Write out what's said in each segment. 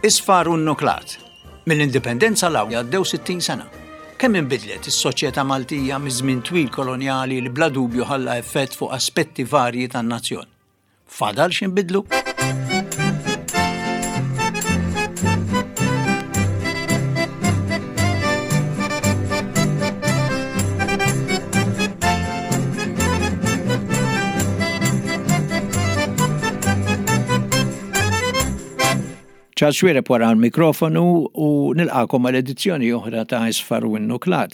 Isfar u nnuklat. Mill-Indipendenza 'l hawn għaddew 60 sena. Kemm inbidlet is-soċjetà Maltija miż-żmien twil kolonjali li bla dubju ħalla effett fuq aspetti varji tan-nazzjon. Fadal x'inbidlu? Charles Xuereb wara l-mikrofonu u nilqakom għal edizzjoni oħra ta' Isfar u Innuklat.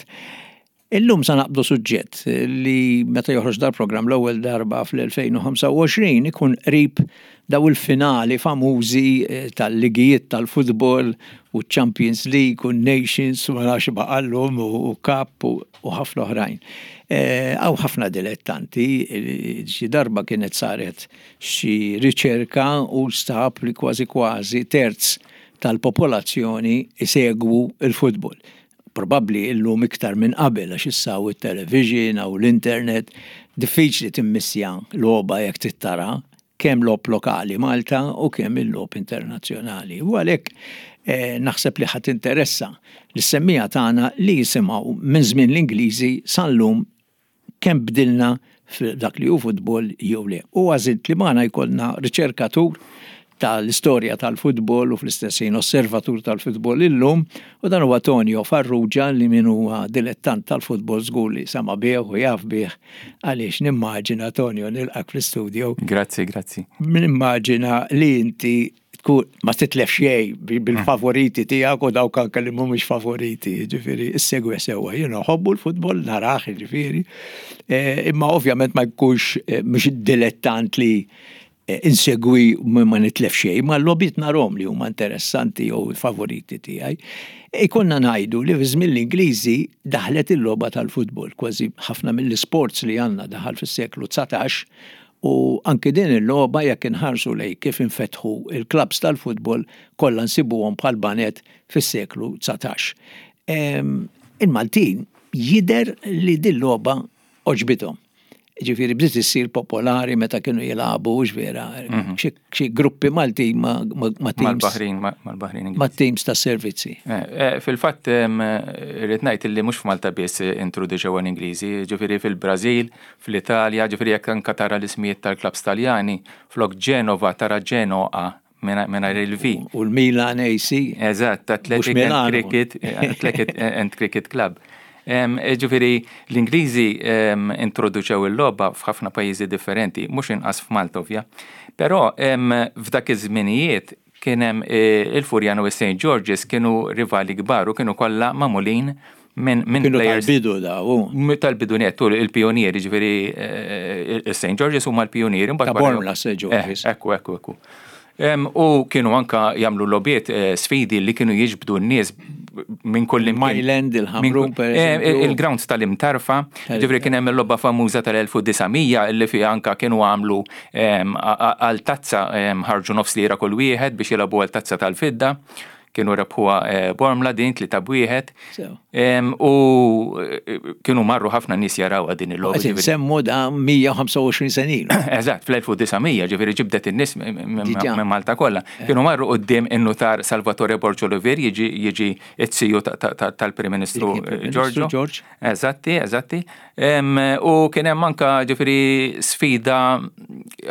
Illum sa naqbdu suġġett li meta joħroġ dal-programm l-ewwel darba fl-2025 ikun qrib daw il-finali famużi eh, tal-ligijiet tal-futbol u Champions League u Nations u ma nafx baqallhom u Cup u ħafna oħrajn. Eh, hawn ħafna dilettanti, eh, xi darba kienet saret xi riċerka u stab li kważi kważi terz tal-popolazzjoni isegwu il-futbol. Probabbli illum iktar minn qabel għax issa hawn it-television, hawn l-internet, diffiċli timmissja logħba jekk trid tara kemm logħob lokali Malta u kemm il-logħob internazzjonali. U għalhekk eh, naħseb li ħadd interessa lis-semmiegħa tagħna li jisimgħu minn żmien l-Ingliżi sal-lum kemm bdilna f'dak li hu futbol jew le. U għażilt li magħna jkollna riċerkatur tal-istorja tal-futbol u fl-istess ħin osservatur tal-futbol illum u dan huwa Tonio Farrugia li min huwa dilettant tal-futbol żgur li sama bih u jaf bih għaliex nimmaġina Tonio nilqak fl-istudio. Grazzi, grazzi. Nimmaġina li inti tkun ma titlef xejn bil-favoriti tiegħek u dawk anke li mhumiex favoriti, jiġifieri issegwi sewwa. Jien nħobbu l-futbol narah jiġifieri. Eh, imma ovvjament ma jkunx eh, mhux dilettant li eh, insegwi ma nitlef xejn, ma l-logħbiet narhom li huma interessanti jew favoriti tiegħi. Ikonna ngħidu li fi żmien l-Ingliżi daħlet il-logħba tal-futbol, kważi ħafna mill-isports li għandna daħal fis-seklu 19 U anki din il-logħba jekk inħarsu lejn kif infetħu il-klabbs tal-futbol kollha nsibuhom bħal baned fis-seklu 19. Il-Maltin jidher li din logħba għoġbithom. Ġifieri bdiet issir popolari meta kienu jilagħbu hux vera mhm. xi gruppi Maltin ma' teams. Mal-Baħrin, mal-Baħrin. Ma' teams ta' servizzi. Eh, eh, fil-fatt irrid ngħid li mhux f'Malta biss introduċew l-Ingliżi, ġifieri fil-Brażil, Fl-Italja, ġifieri jekk anke tara l-ismijiet tal-klabbs Taljani, flok Genova tara Genoa mingħajr il-V. U l-Milan AC. Eżatt, Athletic and Cricket, Athletic and Cricket Club. Ġifieri l-Ingliżi introduċew il-logħba f'ħafna pajjiżi differenti, mhux inqas f'Malta ovvja. Però f'dak iż-żminijiet kien hemm il-Furjana u s-St. George's kienu rivali kbar u kienu kollha magħmulin minn minn Kienu tal-bidu daw. Tal-bidu nettu il-pionieri, ġifieri il-St. George's huma l-pionieri. Ta' Bormla St. George's. Ekku, ekku, ekku. U kienu anka jagħmlu logħbiet sfidi li kienu jiġbdu n-nies minn kull Myland, il-Ħamrun, per eżempju. Il-grounds tal-Imtarfa, ġifieri kien hemm il-logħba famuża tal-1900 li fiha anka kienu għamlu Għal tazza ħarġu nofs lira kull wieħed biex jilagħbu għal tazza tal-fidda. Kienu rebħuha eh, Bormla din tli ta' wieħed. U eh, kienu marru ħafna nies jaraw din il-logħba. Semmu da 125 senin. Eżatt, fl-1900 ġifieri ġibdet in-nies minn Malta kollha. Eh. Kienu marru qudiem in-nutar Salvatore Borgio Olivier jiġi jiġi it-siju tal-Prim Ministru Giorgio. Eżatti, eżatti. U kien hemm anka ġifieri sfida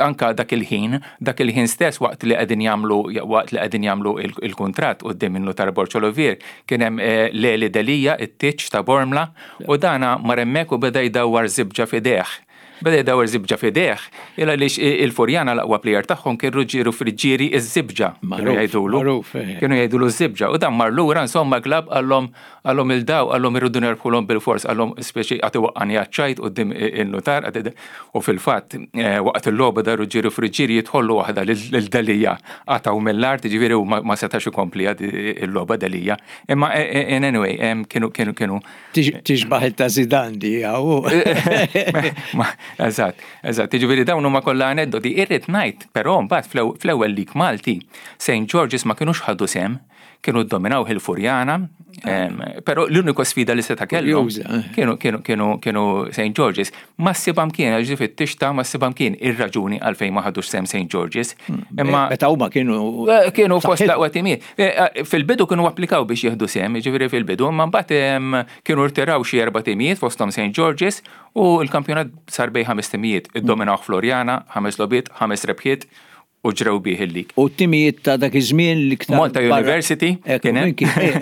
anka dak il-ħin, dak il-ħin stess waqt li qegħdin jagħmlu waqt li qegħdin jagħmlu il-kuntratt quddiem in-nutar Borg Olivier, kien hemm eh, Leli Delija, it-tiċ ta' Bormla, u dana mar hemmhekk u beda jdawwar żibġa f'idejh. Beda jdawwar żibġa f'idejh, il għaliex il-Furjana l-aqwa plejer tagħhom kien Ruġġieru Friġġieri iż-żibġa. Kienu jgħidulu. Eh. Kienu jgħidulu ż-żibġa. U dan mar lura insomma klab qallhom Qallhom 'il daw, qallhom irridu nerbħulhom bilfors, qallhom speċi qagħad iwaqqagħni għaċ-ċajt quddiem in-nutar, u fil-fatt waqt il-logħba da Ruġġieru Friggieri jidħollu waħda lil Delia qatgħu mill-art, jiġifieri hu ma setax ikompli il-logħba Delia. Imma in anyway kienu kienu kienu. Tixbaħ ta' Zidane di hawn. Eżatt, eżatt, jiġifieri dawn huma kollha aneddoti. Irrid ngħid però mbagħad fl-ewwel lig Malti, St. George's ma kinux ħadu sehem. Kienu ddominaw il-Furjana, però l-uniku sfida li seta' kellhom eh. kienu kienu kienu kienu St. George's. Ma ssibha mkien għax fit-tixta ma ssibha mkien ir-raġuni għalfejn ma ħadux sehem St. George's. Hmm. Imma meta huma kienu eh, kienu fost l-aqwa timijiet. Eh, fil-bidu kienu applikaw biex jieħdu sehem, jiġifieri fil-bidu, imma mbagħad kienu rtiraw xi erba' timijiet fosthom St. George's u l-kampjonat sar bejn ħames timijiet. Iddominaw Floriana, ħames logħbiet, ħames rebħiet u ġrew bih il-lig. U t-timijiet ta' dak iż-żmien li iktar. Malta University. Kien hemm.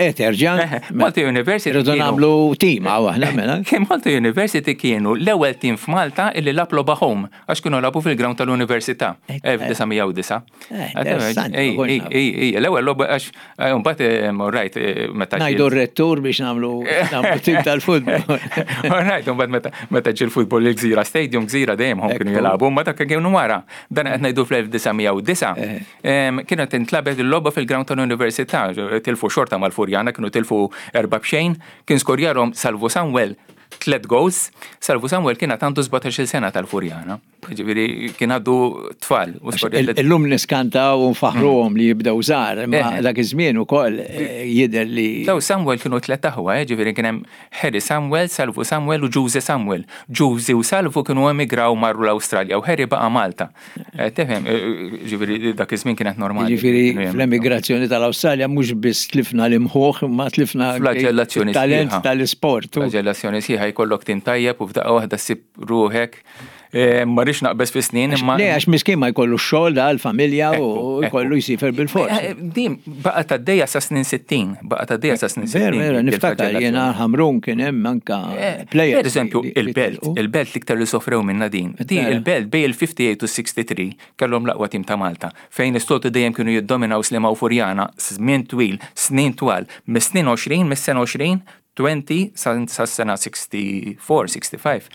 Eh, terġa'. Malta University. Irridu nagħmlu tim hawn aħna mela. Kien Malta University kienu l-ewwel tim f'Malta illi lagħab logħba home għax kienu lagħbu fil-ground tal-Università 1909. Eh, l-ewwel logħba għax eh, mbagħad eh, rajt meta. Ngħidu r-rettur biex nagħmlu nagħmlu tim tal-futbol. Rajt mbagħad meta ġie l-futbol il-Gżira Stadium Gżira dejjem hom kienu jilagħbu, ma dak kienu wara. Dan qed ngħidu fl-1909. Kienet intlabet il-logħba fil-ground tal-Università, tilfu xorta mal-Furjana, kienu tilfu erba' b'xejn, kien skorjarhom Salvu Samuel tlet goals. Salvu Samuel kien għandu 17-il sena tal-Furjana. Ġifieri kien għaddu tfal. Illum niskantaw u nfaħruhom li jibdew żgħar, imma eh. dak iż-żmien ukoll eh, jidher li. Daw Samuel kienu tlet aħwa, eh, ġifieri kien hemm Harry Samuel, Salvu Samuel u Ġużi Samuel. Ġużi u Salvu kienu emigraw marru l-Awstralja u Harry baqa' Malta. Eh, tifhem, eh, ġifieri dak iż-żmien kienet normali. Ġifieri fl-emigrazzjoni tal-Awstralja mhux biss tlifna l-imħuħ, ma tlifna flagellazzjoni talent tal-isport. Flagellazzjoni sħiħa jkollok tim tajjeb u f'daqqa waħda ssib ruħek Eh, ma rridx naqbeż fi snin imma. Le għax miskin ma jkollu xogħol da l-familja u jkollu jsifer bil-fors. Eh, din baqa' tgħaddejja sa snin 60, baqa' tgħaddejja sa snin 60. Vera, niftakar jiena Ħamrun kien hemm anka eh, player. Per eżempju, il-Belt, il-Belt l-iktar li sofrew minna din. Din il-Belt bej il-58 u 63 kellhom l-aqwa tim ta' Malta, fejn is-soltu dejjem kienu jiddominaw Sliema u Furjana żmien twil, snin twal, mis-snin 20, mis-sena 20 20 sas-sena 64, 65,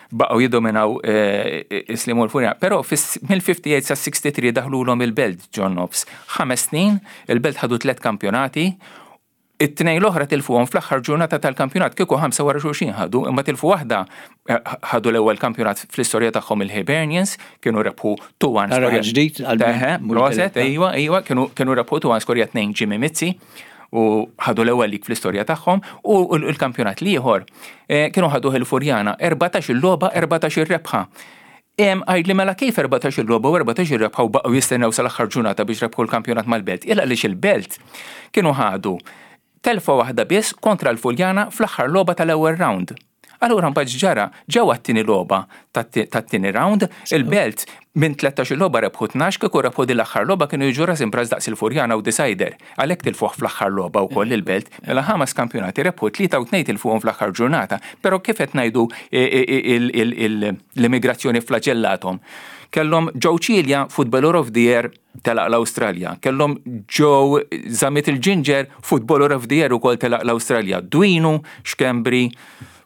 baqgħu jiddominaw eh, is-Sliema u l-Furjana. Però mill-58 sa 63 daħlulhom il-Belt John Nofs. Ħames snin, il-Belt ħadu tliet kampjonati, it-tnejn l-oħra tilfuhom fl-aħħar ġurnata tal-kampjonat kieku ħamsa wara xulxin ħadu, imma tilfu waħda eh, ħadu l-ewwel kampjonat fl-istorja tagħhom il-Hibernians, kienu rebħu 2-1. Ġdid għal Proset, ejwa, ejwa, kienu rebħu 2-1 skorja 2 Jimmy Mizzi u ħadu l-ewwel lig fl-istorja tagħhom u l-kampjonat l-ieħor eh, kienu ħaduh il-Furjana 14 il-logħba 14 ir-rebħa. Għajd li mela kif 14 il-logħba u 14 ir-rebħa u baqgħu jistennew sal-aħħar ġurnata biex rebħu l-kampjonat mal-Belt. Illa għaliex il-Belt kienu ħadu telfa waħda biss kontra l-Furjana fl-aħħar logħba tal-ewwel round. Allura mbagħad x'ġara? Ġew għat-tieni logħba tat-tieni round, il-Belt minn 13-il logħba rebħu 12, kieku rebħu din l-aħħar logħba kienu jiġu ras imb'ras daqs il-Furjana u Decider. Għalhekk tilfuh fl-aħħar logħba wkoll il-Belt. Mela ħames kampjonati rebħu tlieta u tnejn tilfuhom fl-aħħar ġurnata. Però kif qed ngħidu l-immigrazzjoni flaġellathom. Kellhom Joe Cilia, Footballer of the Year, telaq l-Awstralja. Kellhom Joe Zammit il-Ġinġer, Footballer of the Year ukoll telaq l-Awstralja. Dwinu Schembri,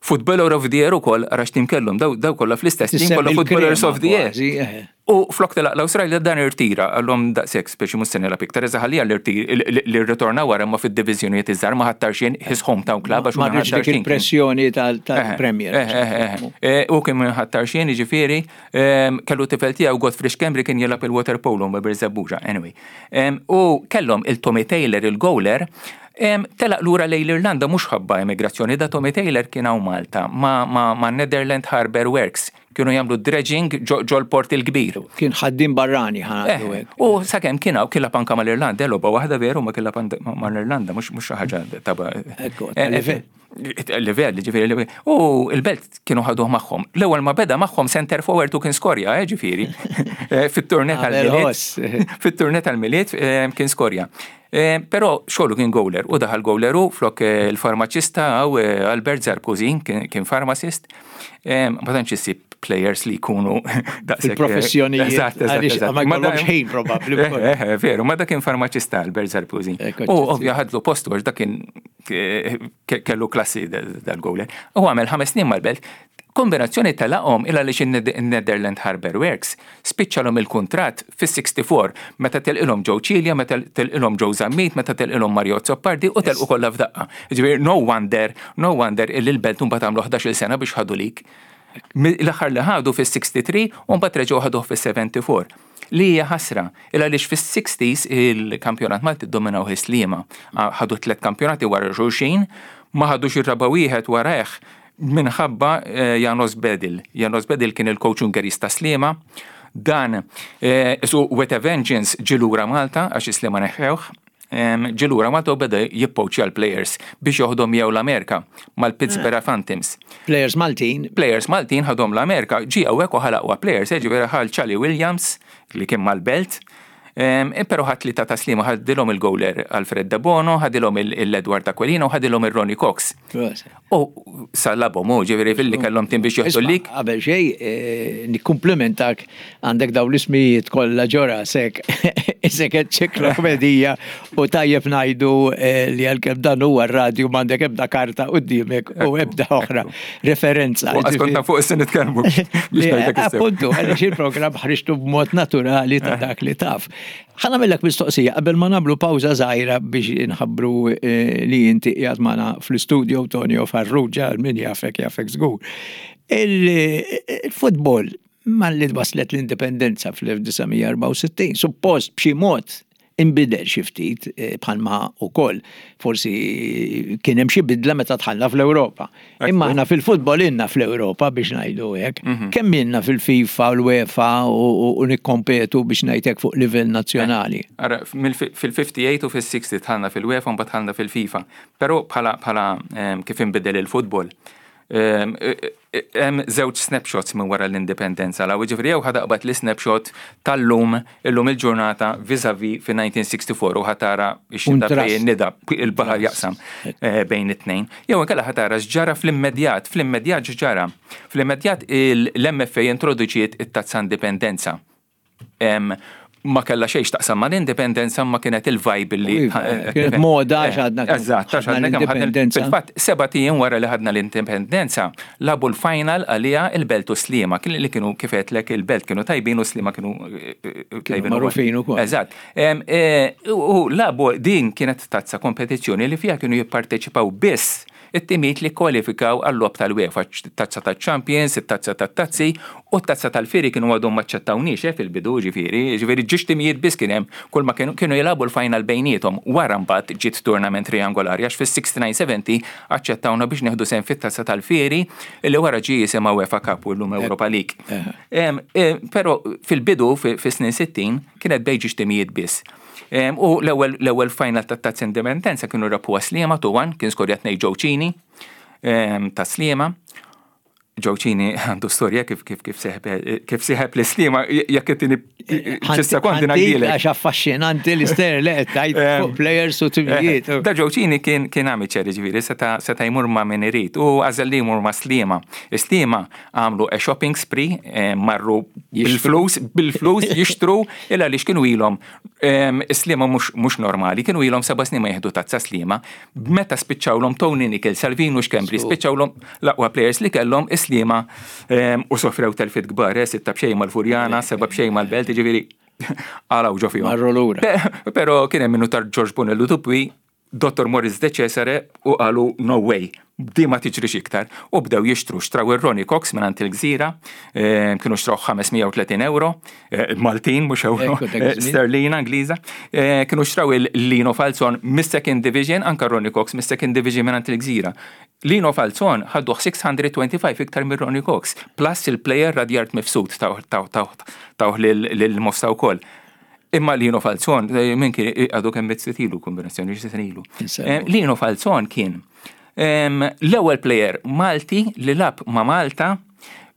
Footballer of the Year ukoll, ara x'tim kellhom, daw, daw kollha fl-istess tim kollha Footballers of the Year. Eh. U flok telaq l-Awstralja dan irtira għallhom daqshekk speċi mhux se nilgħab iktar iżda ħallija li rritorna wara ma fid-diviżjonijiet iż-żgħar ma ħattarxin his hometown club għax ma dik il-pressjoni tal-Premier. Eh, u kien ħattarxin jiġifieri Kellu tifel tiegħu Godfrey Schembri kien jilgħab il-water polo ma' Birżebbuġa, anyway. U kellhom il-Tommy Taylor il-goaler telaq lura lejn l-Irlanda mhux ħabba emigrazzjoni, da Tommy Taylor kien hawn Malta ma', ma, ma Netherland Harbour Works kienu jagħmlu dredging ġol-port il-kbir. Kien ħaddiem barrani ħa eh, U sakemm kien hawn kien anka mal-Irlanda, logħba waħda veru ma kien mal-Irlanda mhux mhux xi ħaġa ta' eh, Livell, ġifieri livell. U il-belt kienu ħaduh magħhom. L-ewwel ma beda magħhom center forward u kien skorja, eh, ġifieri. Eh, fit-turne tal-Milied. Fit-turne tal-Milied eh, kien skorja. Eh, però xogħlu kien gowler u daħal gowler u flok il-farmaċista għaw Albert Zarkuzin kien farmacist. Ma tantx issib players li jkunu daqshekk. Il-professjonijiet. Eżatt, eżatt. Ma jkollhomx ħin probabbli. Veru, ma dak kien farmaċista Albert Zarkuzin. U ovvja ħadlu postu għax dak kien kellu klassi dal-gowler. U għamel ħames snin mal-belt, kombinazzjoni telaqhom il għaliex in-Netherland Harbour Works spiċċalhom il-kuntratt fis-64 meta telqilhom Joe Cilia, meta telqilhom Joe Zammit, meta telqilhom Mario Azzopardi u telqu kollha f'daqqa. Ġifieri no wonder, no wonder illi l-belt mbagħad għamlu 11-il sena biex ħadu lik. L-aħħar li ħadu fis-63 u mbagħad reġgħu ħaduh fis-74. Li hija ħasra, il għaliex fis-60s il-kampjonat Malti ddominaw Sliema. Ħadu tlet kampjonati wara xulxin, ma ħadux ir-raba' wieħed warajh minħabba eh, Janos Bedil. Janos Bedil kien il-coach Ungeris ta' Sliema. Dan eh, isu with a vengeance ġie lura Malta għax Sliema neħħewh ġie lura Malta u beda jippoċja l-players biex joħdom jew l-Amerika mal-Pittsburgh eh. Phantoms. Players Maltin. Players Maltin ħadhom l-Amerika, ġie hawnhekk u ħalaqwa players, eh, ġifieri ħal Charlie Williams li kien mal-Belt, eh, Pero ħadd li ta' taslima ħadilhom il-goaler Alfred Debono, ħadilhom il-Edward Aquilino, ħadilhom il-Ronnie Cox. U sallabhom u ġifieri fil-li kellhom tim biex joħdu lik. Qabel xejn eh, nikkumplimentak għandek dawn l-ismijiet kollha ġo rasek isek enċiklopedija u tajjeb ngħidu eh, li għalkemm dan huwa r-radju m'għandek ebda karta quddiemek u ebda oħra referenza. Għax fuq is nitkellmu. Appuntu, għaliex il-programm ħriġtu b'mod naturali ta' dak li taf. Ħa nagħmillek mistoqsija qabel ma nagħmlu pawża żgħira biex inħabbru eh, li inti qiegħed magħna fl-istudio Tonio Farrugia min jafek jafek żgur. Il-futbol malli waslet l-indipendenza fl-1964, suppost b'xi mod inbidel xi ftit eh, bħalma ukoll forsi kien hemm xi bidla meta dħalna fl-Ewropa. Imma aħna fil-futbol inna fl-Ewropa biex ngħidu hekk. Mhm. Kemm inna fil-FIFA u l-UEFA u nikkompetu biex ngħidlek fuq livell nazzjonali. Eh, ara, fil-58 u fil-60 dħalna fil-UEFA u mbagħad dħalna fil-FIFA. Però bħala ehm, kif inbidel il-futbol, ehm, Hemm żewġ snapshots minn wara l-indipendenza 'l hawn, jiġifieri jew ħa taqbad l-isnapshot tal-lum, illum il-ġurnata vis-à-vis fin-1964 u ħa tara x-xita fejn in-nida, il-baħar jaqsam eh, bejn it-tnejn. Jew inkella ħa tara x'ġara fl-immedjat, fl-immedjat x'ġara. Fl-immedjat l-MFA introduċiet it-tazza indipendenza. Ma kellha xejn x'taqsam mal-indipendenza ma kienet il-vibe li. Iva, eh, kienet moda għax għadna. Eżatt, għax għadna l-indipendenza. Fil-fatt, seba' ijiem wara li ħadna l-indipendenza, labu l-final għalija il-Belt u Sliema, li kienu kif għedtlek il-Belt kienu tajbin u Sliema kienu eh, eh, tajbin. Magħrufin ukoll. Eżatt. U labu din kienet tazza kompetizzjoni li fiha kienu jipparteċipaw biss It-timijiet li kkwalifikaw għal-logħob tal-UEFA, it-Tazza taċ-Champions, it-Tazza tat-Tazzi u t-Tazza tal-Fieri kienu għadhom ma aċċettawniex eh fil-bidu jiġifieri, jiġifieri ġiex timijiet biss kien hemm, kull ma kienu kienu jilagħbu l-final bejniethom. Wara mbagħad ġiet tournament triangolari għax fis-69-70 aċċettawna biex nieħdu sehem fit-Tazza tal-Fieri li wara ġie jisimha UEFA Cup u llum Europa League. Però fil-bidu fis-snin 60 kienet bejn ġiex timijiet biss. U l-ewwel final tat-Tazza Indipendenza kienu rebħuha Sliema 2-1, kien skorja tnejn Joe Cini ta' Sliema. Joe Cini għandu storja kif kif kif seħeb kif seħeb li Sliema jekk it-tieni xi sekondi ngħidilek. Għax affaxxinanti l-ister li qed tgħid fuq players u timijiet. Da Joe Cini kien kien amateur ġifieri seta' seta' jmur ma' min irid u għażel li jmur ma' Sliema. Sliema għamlu a shopping spree, marru bil-flus, bil-flus jixtru il għaliex kienu ilhom Sliema mhux normali, kienu ilhom seba' snin ma jieħdu tazza Sliema. Meta spiċċawlhom Tony Nickel, Salvino Schembri, spiċċawlhom l-aqwa players li kellhom Sliema u sofrew telfiet kbar, eh, sitta b'xejn mal-Furjana, seba' b'xejn mal-Belt, ġifieri għalaw ġo fihom. Marru lura. Però kien hemm minnu tar George Bonello Dupwi Dottor Maurice De Cesare u qalu no way, di ma tiġrix iktar. U bdew jixtru, xtraw ir-Ronnie Cox mingħand il-Gżira, eh, kienu xtraw 530 euro, eh, Maltin mhux euro, eh, sterlina Ingliża. Kienu xtraw il-Lino Falzon mis-Second Division, anka Ronnie Cox mis-Second Division mingħand il-Gżira. Lino Falzon ħadduh 625 iktar minn Ronnie Cox, plus il-player Radjard Mifsud tawh lil Mosta wkoll. Imma Lino Falzon, eh, minn kien eh, għadu kemm mitt ilu kombinazzjoni xi sena ilu. Eh, Lino Falzon kien ehm, l-ewwel player Malti li lab ma' Malta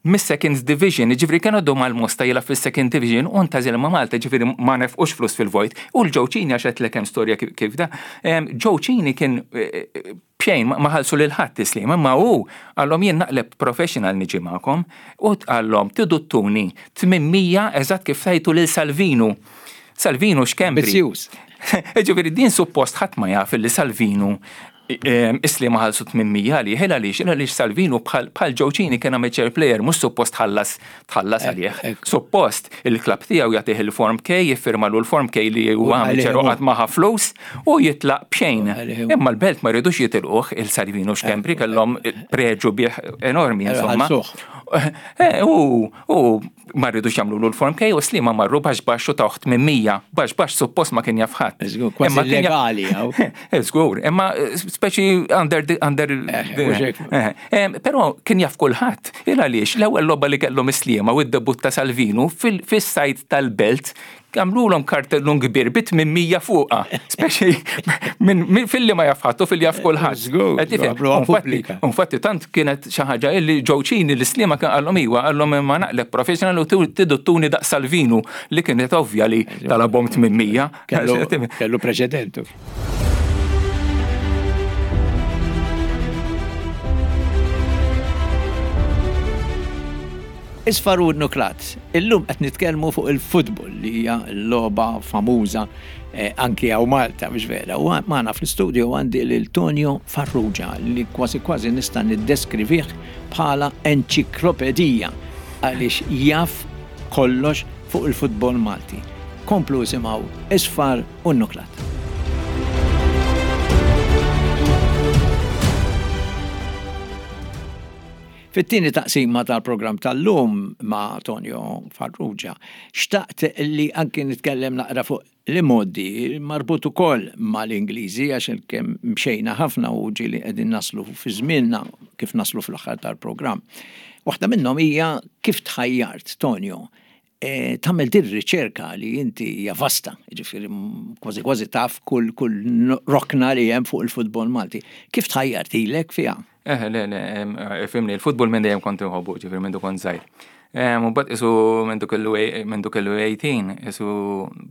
mis-second division, ġifri kienu għaddu mal-Mosta jilab fis-second division u ntażil ma' Malta, ġifri ma nefqux flus fil-vojt. U l-Joe Cini għax qed hemm storja kif da. Ehm, Joe Cini kien b'xejn ma ħallsu lil ħadd tislima, imma hu qallhom jien naqleb professional niġi magħkom u qallhom tridu ttuni 800 eżatt kif tajtu lil Salvinu. Salvinu x'Kembri. Ambizzjuż. Ġifieri din suppost ħadd ma jaf li Salvinu Is-Sliema ħallsu 800 għalih, il għaliex, il għaliex Salvinu bħal Joe Cini kien amateur player, mhux suppost tħallas tħallas għalih. Suppost il-klabb tiegħu jagħtih il-Form K, jiffirmalu l-Form K li huwa amateur u qatt ma ħa flus u jitlaq b'xejn. Imma l-Belt ma ridux jitilquh il-Salvino Schembri kellhom preġu bih enormi insomma. Eh, u u ma rridux jagħmlu l-form K u Sliema marru baxx baxx u tawh 800, baxx baxx suppost ma kien jaf ħadd. Żgur, kważi illegali hawn. Żgur, imma eh, speċi under under eh, Però kien jaf kulħadd. Il għaliex l-ewwel logħba li kellhom is-Sliema u d-debut ta' Salvinu fis-sajt tal-belt għamlulhom kartellun kbir bit minn 100 fuqha. Speċi minn filli ma jaf ħadd u filli jaf kulħadd. Infatti tant kienet xi ħaġa illi ġewċini l-Sliema kien qallhom iwa qallhom imma naqleb professional u tiduttuni daqs Salvinu li kienet ovvja li talabhom 800. Kellu preċedentu. Isfar u nuklat. Illum qed nitkellmu fuq il-futbol li hija l-logħba famuża eh, anki hawn Malta biex vera. U magħna fl-istudio għandi lil Tonio Farrugia li kważi kważi nista' niddeskrivih bħala enċiklopedija għaliex jaf kollox fuq il-futbol Malti. Komplu isimgħu Isfar u Nuklat. Fit-tieni taqsima tal-programm tal-lum ma' Tonio Farrugia, xtaqt li anki nitkellem naqra fuq l-imgħoddi marbut ukoll mal-Ingliżi għax kemm mxejna ħafna u ġieli qegħdin naslu fi żmienna kif naslu fl-aħħar tal-programm. Waħda minnhom hija kif tħajjart, Tonio, e, tagħmel din riċerka li inti hija vasta, jiġifieri kważi kważi taf kull kull rokna li hemm fuq il-futbol Malti. Kif tħajjart ilek fiha? Eh, le, le, fimni, il-futbol minn dejjem kont inħobbu, ġifieri minn kont żgħir. U mbagħad isu minn kellu minn kellu 18, isu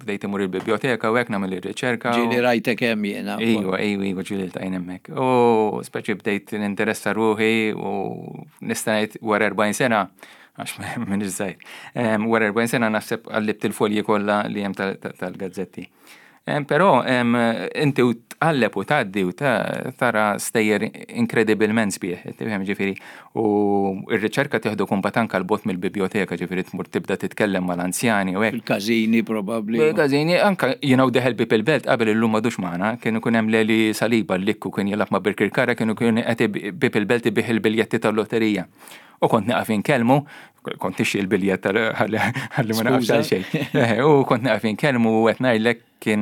bdejt imur il-biblioteka u hekk nagħmel ir-riċerka. Ġieli rajtek hemm jiena. Iva, iva, iva, ġieli ltqajna hemmhekk. U speċi bdejt ninteressa ruħi u nista' ngħid wara 40 sena għax minn iż-żgħir. Wara 40 sena naħseb qallibt il-folji kollha li hemm tal-gazzetti. Però inti u tqalleb u tgħaddi u tara stejjer inkredibilment sbieħ, tifhem ġifieri, u r-riċerka tieħdu kumbat anke l-bot mill-biblioteka, ġifieri tmur tibda titkellem mal-anzjani u hekk. Fil-każini probabbli. Fil-każini anke jiena u deħel bib il-belt qabel illum m'għadux magħna, kien ikun hemm Leli Saliba l-likku kien jilgħab ma' Birkirkara kienu kien qed bib il-belt ibih il-biljetti tal-lotterija. U kont nieqaf inkellmu, kont nixxi l-biljett ħalli ma naqafx xejn. Eh, u kont nieqaf inkellmu u qed ngħidlek kien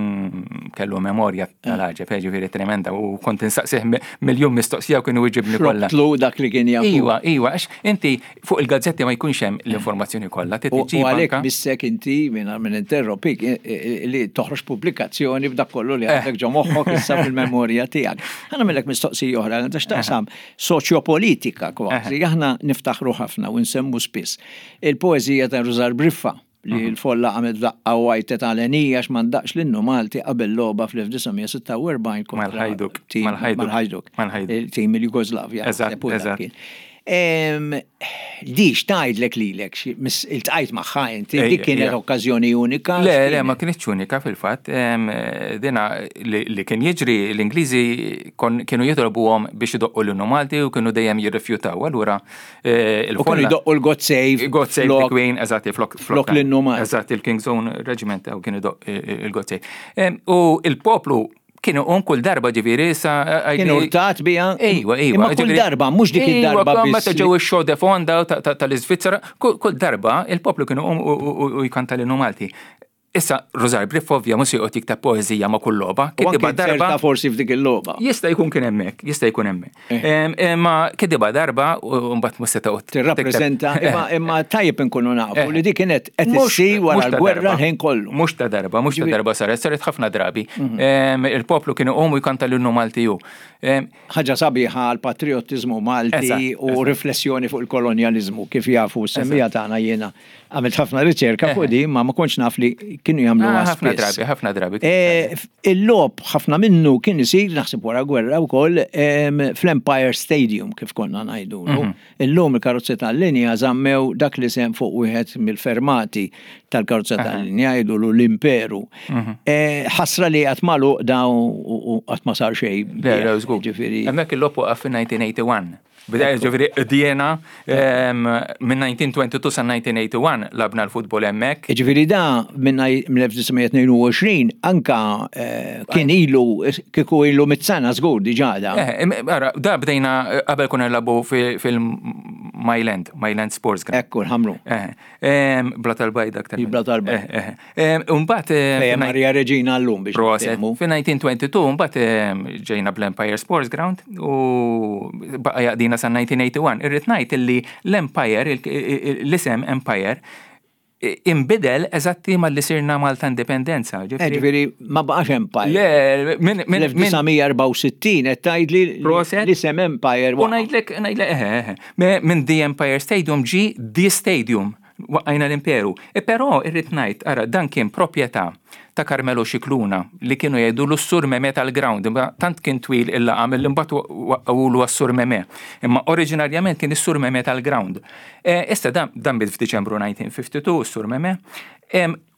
kellu memorja tal-ħaġa, eh, ġifieri tremenda u kont insaqsih miljun mistoqsija u kienu jġibni kollha. Tlu dak li kien jafu. Iwa, iwa, għax inti fuq il-gazzetti ma jkunx hemm l-informazzjoni kollha. U għalhekk missek inti minn minn interrompik eh, li toħroġ pubblikazzjoni b'dak kollu li għandek ġo moħħok issa fil-memorja tiegħek. Ħa nagħmellek mistoqsija oħra, għandha x'taqsam soċjopolitika kważi, aħna niftaħru ħafna u nsemmu spiss il-poeżija ta' Rużar Briffa li mhm. l-folla għamet daqqa u għajtet għalenija għax ma ndaqx l-innu Malti qabel logħba fl-1946 kontra Mal-Ħajduk. Mal-Ħajduk. Tim il-Jugoslavja. Eżatt, eżatt. Di x'tgħidlek lilek, iltqajt magħha inti, dik kienet okkażjoni unika. Le, le, ma kinitx unika fil-fatt. Dina li kien jiġri l-Ingliżi kienu jitolbuhom biex idoqqu l-innu Malti u kienu dejjem jirrifjutaw. Allura eh, il kienu jdoqqu l-God Save. God Save the Queen, eżatt, flok flok l-innu Malti. Eżatt, il-King's Own Regiment u kienu jdoq eh, il-God Save. U il-poplu Kienu un kull darba ġifieri sa. Kienu urtat biha. Ejwa, ejwa. Imma kull darba, mhux dik id-darba biss. Meta ġew ix-show de fonda tal-Iżvizzera, kull darba il-poplu kienu um u jkanta l-innu Malti. Issa, Rużar Briff ovvja mhux joqgħod jikteb poeżija ma' kull logħba. Kitibha darba. forsi f'dik il-logħba. Jista' jkun kien hemmhekk, jista' jkun hemmhekk. Eh. Imma kitibha darba u mbagħad mhux se toqgħod. Tirrappreżenta, imma tajjeb inkunu nafu eh. li dik kienet qed issir wara l-gwerra l-ħin kollu. Mhux ta' darba, mhux ta' darba saret, saret ħafna drabi. Mhm. Il-poplu kienu qomu jkanta l-innu Malti hu. Ħaġa sabiħa għal patriottiżmu Malti u riflessjoni fuq il-kolonjaliżmu kif jafu semmija tagħna jiena Għamilt ħafna riċerka fuq di, ma ma kontx naf li kienu jagħmlu ah, ħafna drabi, ħafna drabi. E, il-lob ħafna minnu kien isir naħseb wara gwerra wkoll fl-Empire Stadium kif konna ngħidu. Mhm. Illum il-karozzi tal-linja żammew dak li sem fuq wieħed mill-fermati tal-karozza tal-linja jgħidu l-Imperu. Mhm. E, ħasra li qatt magħluq daw u qatt ma sar xejn. Ġifieri. Hemmhekk il-lob waqaf fin-1981. Bida ġifieri qdiena minn 1922 sa 1981 labna l-futbol hemmhekk. Ġifieri da minn 1922 anka eh, kien ilu kieku ilu mit-sena żgur diġà da. Eh, ara, da bdejna eh, qabel konna nlabu fil-. Mile End, Mile End Sports Ground. Ekku, l-ħamru. Eh, Bla tal-bajda aktar. Bla tal-bajda. Eh, Mbagħad. Maria Reġina llum biex. Proset. Fi 1922 mbagħad ġejna bl-Empire Sports Ground u baqa' jaqdina sa 1981. Irrid ngħid illi l-Empire, l-isem Empire, imbidel eżatti malli sirna Malta Indipendenza. Ġifieri ma baqax Empire. Le, minn 1964 qed tgħidli l-isem Empire. U ngħidlek, ngħidlek, eħe, minn The Empire Stadium ġi The Stadium waqqajna l-imperu. E però irrid ngħid, ara, dan kien proprjetà ta' Carmelo Scicluna li kienu jgħidu l-Sur Meme tal-ground, imma tant kien twil il-laqam li mbagħad waqqgħulu għas-Sur Meme. Imma oriġinarjament kien is-Sur Meme tal-ground. E, issa dan, dan miet f'Diċembru 1952, is-Sur Meme,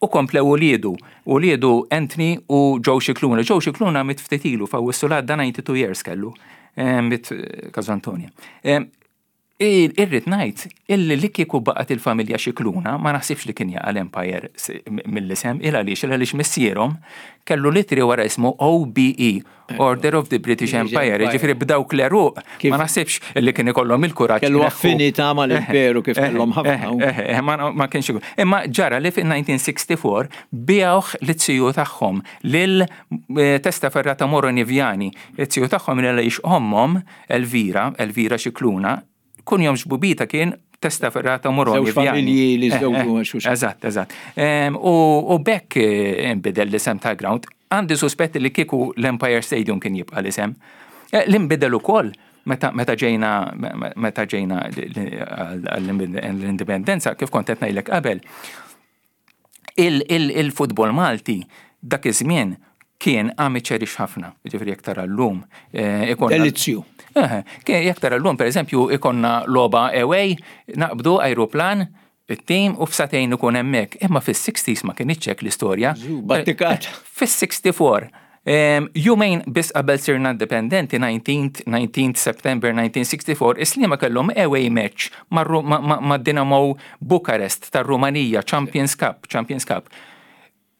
u komplew uliedu, uliedu Anthony u Joe Scicluna. Joe Scicluna miet ftit ilu f'Awwissu l-għadda 92 years kellu, miet Casa Antonia. Irrid ngħid illi li kieku baqgħet il-familja Scicluna ma naħsibx li kien jaqa' l-Empire mill-isem il għaliex il għaliex missierhom kellu litri wara ismu OBE, Order of the British Empire, ġifieri b'dawk l-eruq ma naħsibx illi kien ikollhom il-kuraġġ. Kellu affinità mal-imperu kif kellhom ħafna. Ma kienx ikun. Imma ġara li fin-1964 biegħuh lit-tiju tagħhom lil Testaferrata Moroni Viani. It-tiju tagħhom li għaliex ommhom Elvira, Elvira Scicluna, kunjom xbubita kien Testaferrata Moroni. Żewġ familji li żewġu xulxin. Eżatt, eżatt. U bekk inbidel l-isem ta' ground. Għandi suspetti li kieku l-Empire Stadium kien jibqa' l-isem. L-inbidel ukoll meta ġejna meta ġejna l-indipendenza, kif kont qed ngħidlek qabel, il-futbol Malti dak iż-żmien kien amateurish ħafna, ġifieri jekk tara llum. Delizzju. Jekk tara llum, per eżempju, ikonna logħba away, naqbdu aeroplan, it-tim u f'satejn ikun hemmhekk. Imma fis-60s ma kienx hekk l-istorja. Battikat. Fis-64, jumejn biss qabel sirna indipendenti, 19 September 1964, Is-Sliema kellhom away match ma' Dinamo Bukarest tar-Rumanija, Champions Cup, Champions Cup.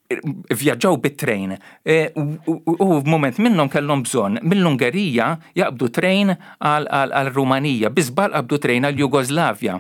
Vjaġġaw bit-train. U f'mument minnhom kellhom bżonn mill-Ungerija jaqbdu train għal-Rumanija, bi żball qabdu train għal-Jugoslavja.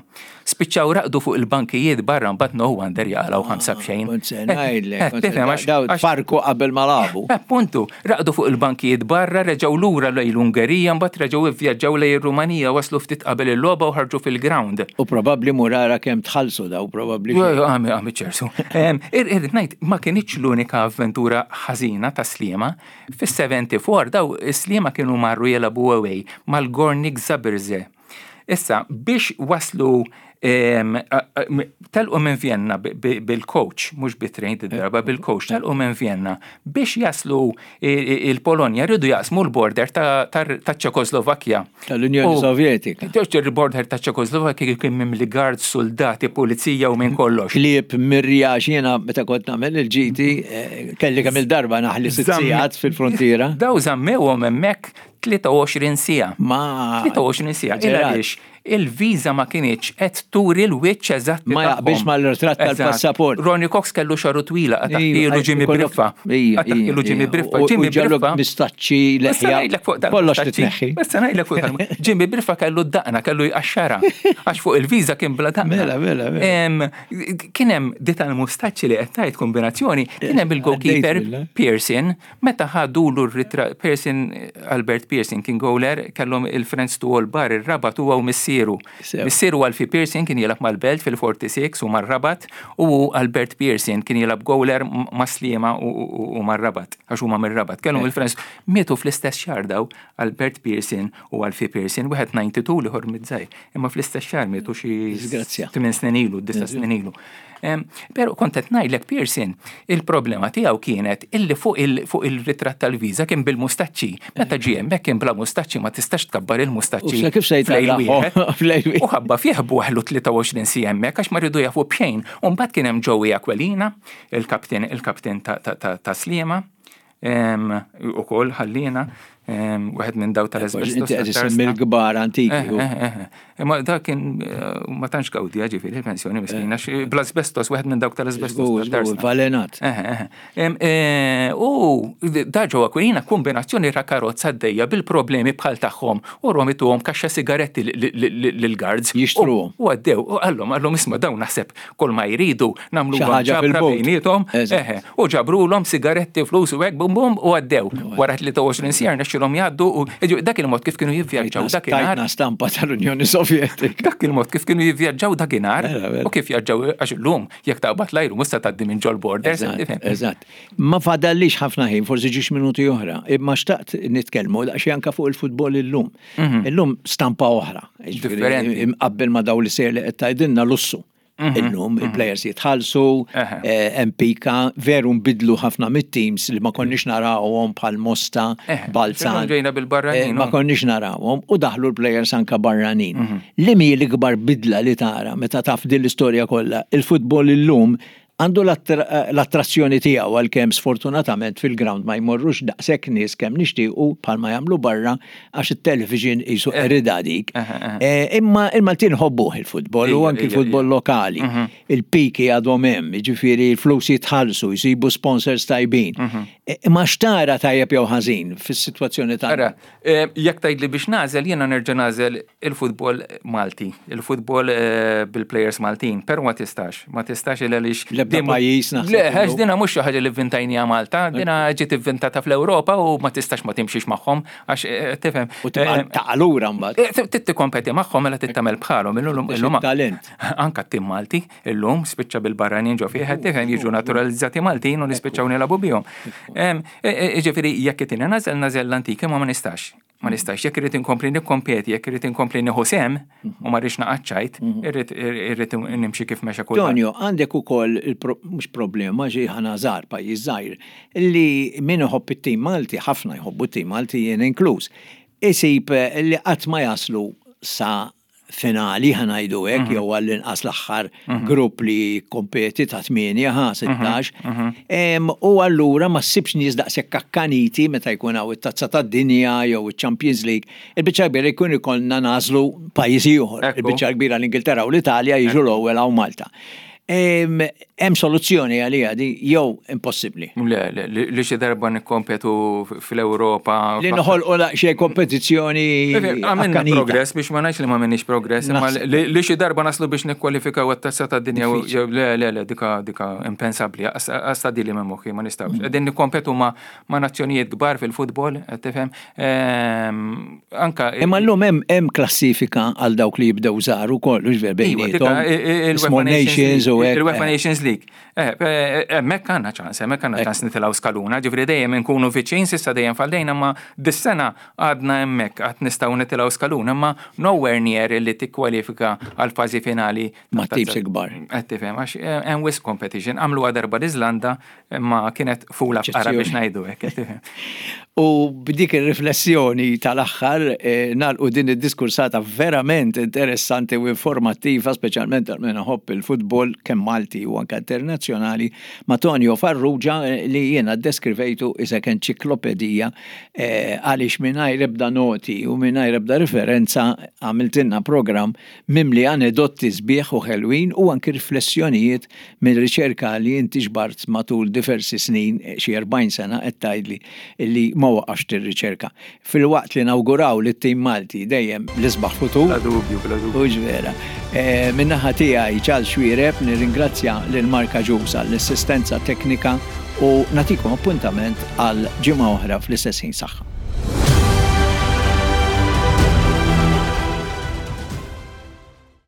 Spiċċaw raqdu fuq il-bankijiet barra mbagħad no wonder jaqalgħu 5-0. Kont se ngħidlek, daw farku qabel ma lagħbu. Appuntu, raqdu fuq il-bankijiet barra, reġgħu lura lejn l-Ungerija, mbagħad reġgħu ivvjaġġaw lejn ir-Rumanija, waslu ftit qabel il-logħba u ħarġu fil-ground. U probabbli murara kemm tħallsu daw, probabbli. Għami, għami ċersu. Irrid ngħid, ma kienx l-unika avventura ħażina ta' Sliema. Fis-74 daw Sliema kienu marru jilagħbu away mal-Gornik Zabrze. Issa, biex waslu telqu minn Vienna bil-coach, mhux bit-train darba bil-coach, telqu minn Vienna biex jaslu il-Polonja rridu jaqsmu l-border ta' Ċekoslovakkja. Tal-Unjoni Sovjetika. Il-border ta' Ċekoslovakkja kien mimli guard, soldati, pulizija u minn kollox. Klieb mirja jiena meta kont nagħmel il-ġiti kelli kemm il-darba naħli sitt sigħat fil-frontiera. Daw żammewhom hemmhekk 23 siegħa. Ma 23 siegħa. Għaliex il-viża ma kienx qed turi l-wiċċ eżatt. Ma jaqbilx mal-ritratt tal-passaport. Ronnie Cox kellu xaru twila, qatagħhielu Jimmy Briffa. Qatagħhielu Jimmy Briffa. Jimmy Briffa. Mistaċċi leħja. Kollox titneħħi. Issa ngħidlek fuq Jimmy Briffa kellu d-daqna, kellu jqaxxara. Għax fuq il-viża kien bla daqna. Mela, mela, mela. Kien hemm di tal-mustaċċi li qed tgħid kombinazzjoni, kien hemm il-goalkeeper Pearson, meta ħadulu r-ritratt Pearson, Albert Pearson kien goaler, kellhom il-Friends to All Bar ir-Rabat huwa u missieru. Missieru Alfie Pearson kien jilgħab mal-Belt fil-46 u mar-Rabat u Albert Pearson kien jilgħab goaler ma' Sliema u mar-Rabat, għax huma mir-Rabat. Kellhom il-Friends mietu fl-istess xahar daw Albert Pearson u Alfie Pearson, wieħed 92 l-ieħor miż-żgħir. Imma fl-istess xahar mietu xi 8 snin ilu, 9 snin ilu. Pero kont qed ngħidlek Pearson, il-problema tiegħu kienet illi fuq il-ritratt tal-viża kien bil-mustaċċi. Meta ġie hemmhekk kien bla mustaċċi ma tistax tkabbar il-mustaċċi. U kif se U ħabba fih buħlu 23 siegħa hemmhekk għax ma rridu jafu b'xejn. U mbagħad kien hemm Joey Aquilina, il-kapten il-kapten ta' Sliema, ukoll ħallina. Wieħed minn daw tal-asbestos. Inti qed issemmi l-kbar antiki. Eh, eh, eh, Imma dak kien ma tantx gawdija ġifieri il-pensjoni miskina, bl-asbestos, wieħed minn dawk tal-asbestos. Valenat. U da ġewwa Aquilina kombinazzjoni ta' karozza għaddejja bil-problemi bħal tagħhom u rom ituhom kaxxa sigaretti lill-guards. Jixtruhom. U għaddew, u qallhom, qallhom isma' dawn naħseb kull ma jridu nagħmlu ġabra bejniethom. U ġabrulhom sigaretti, flus u hekk bum bum u għaddew. Wara 23 siegħa rnexxielhom jgħaddu u dak il-mod kif kienu jivvjaġġaw dakinhar. Tajtna stampa tal-Unjoni Sovjetika. Dak il-mod kif kienu jivvjaġġaw dakinhar u kif vjaġġaw għax illum jekk taqbad l-ajru mhux se tgħaddi minn ġol-borders. Eżatt. Ma fadallix ħafna ħin, forsi ġiex minuti oħra, imma xtaqt nitkellmu daqsxejn anke fuq il-futbol illum. Mhm. Illum stampa oħra. Differenti. Imqabbel ma daw li sejr li qed tgħidilna lussu. Mhm. Illum mhm. il-plejers jitħallsu, eh, MPK, veru nbidlu ħafna mit-teams li ma konniex narawhom bħal Mosta, Balzan. Ġejna bil-barranin. Eh, ma konniex narawhom u daħlu l-plejers anka barranin. Mhm. Li mi l-ikbar bidla li tara meta taf din l-istorja kollha, il-futbol illum Għandu l-attrazzjoni tiegħu għalkemm sfortunatament fil-ground ma jmorrux daqshekk nies kemm nixtiequ bħalma jagħmlu barra għax it-television qisu qeridha dik. Imma il-Maltin ħobbuh il-futbol u anki l-futbol lokali. Il-piki għadhom hemm, jiġifieri l-flus jitħallsu, jsibu sponsors tajbin. Imma x'tara tajjeb jew ħażin fis-sitwazzjoni tagħna? Ara, jekk tgħidli biex nagħżel, jiena nerġa' nagħżel il-futbol Malti, il-futbol bil-plejers Maltin, però ma tistax, ma tistax il għaliex. L-ebda pajjiż naħseb. Le, għax dina mhux xi ħaġa li vvintajniha Malta, dina ġiet ivvintata fl-Ewropa u ma tistax ma timxix magħhom għax tifhem. U tibqa' lura mbagħad. Trid tikkompeti magħhom mela trid tagħmel bħalhom illum illum. Talent. Anka t-tim Malti illum spiċċa bil-barranin ġo fih, tifhem jiġu naturalizzati Maltin u nispiċċaw nilagħbu bihom. Ġifieri jekk qed nagħżel nagħżel l-antik imma ma nistax. Ma nistax, jekk irrid inkompli nikkompeti, jekk irrid inkompli nieħu sehem u ma rridx naqa' ċajt, irrid irrid nimxi kif mexa kulħadd. Tonio, għandek ukoll mhux problema xi ħana żgħar, pajjiż żgħir, li min iħobb it-tim Malti, ħafna jħobbu t-tim Malti jien inkluż, isib li qatt ma jaslu sa finali ħa ngħidu hekk mhm. jew għall-inqas l-aħħar mhm. grupp li kompeti ta' 8 ħa 16. Mhm. U allura ma ssibx nies daqshekk akkaniti meta jkun hawn it-Tazza tad-Dinja jew iċ-Champions League. Il-biċċa kbira jkun ikollna nażlu pajjiż ieħor. Il-biċċa kbira l-Ingilterra u l-Italja jiġu l-ewwel hawn Malta. Hemm soluzzjoni għaliha di jew impossibbli? Le, li xi darba nikkompetu fl-Ewropa. Li noħolqu daqsxejn kompetizzjoni. Għamilna progress biex ma ngħidx li ma minniex progress, imma li xi darba naslu biex nikkwalifikaw għat-tazza tad-dinja le le le dika dika impensabbli, għasta dili minn moħħi ma nistgħux. Qegħdin nikkompetu ma' nazzjonijiet kbar fil-futbol, qed tifhem. Ehm, anka. Imma llum hemm hemm klassifika għal dawk li jibdew żgħar ukoll, hux ver iva, bejniethom. Small Nations u hekk. Il-UEFA Nations League. Eh, eh, hemmhekk għandna ċans, hemmhekk għandna ċans nitilgħu skaluna, ġifri dejjem inkunu viċin, sissa dejjem faldejna, ma dis-sena għadna hemmhekk għad nistgħu nitilgħu skaluna, ma nowhere near li tikkwalifika għal fażi finali. Ma tibs ikbar. Qed tifhem għax eh, hemm wisq competition. Għamluha darba l-Iżlanda Imma kienet fula fqara biex ngħidu hekk. U b'dik ir-riflessjoni tal-aħħar eh, nagħlqu din id-diskursata verament interessanti u informattiva, speċjalment għal min iħobb il-futbol kemm Malti u anke internazzjonali, ma' Tonio Farrugia eh, li jiena ddeskrivejtu isek enċiklopedija eh, għaliex mingħajr ebda noti u mingħajr ebda referenza għamiltilna programm mimli anedotti sbieħ u ħelwin u anki riflessjonijiet minn riċerka li inti ġbart matul diversi snin, xi 40 sena qed tgħidli li ma waqafx tirriċerka. Filwaqt li nawguraw lit-tim Malti dejjem l-isbaħ futur. Bla dubju, bla dubju. Hux vera. Min-naħa tiegħi Charles Xuereb nirringrazzja lil Mark Agius għall-assistenza teknika u nagħtikom appuntament għal ġimgħa oħra fl-istess ħin. Saħħa.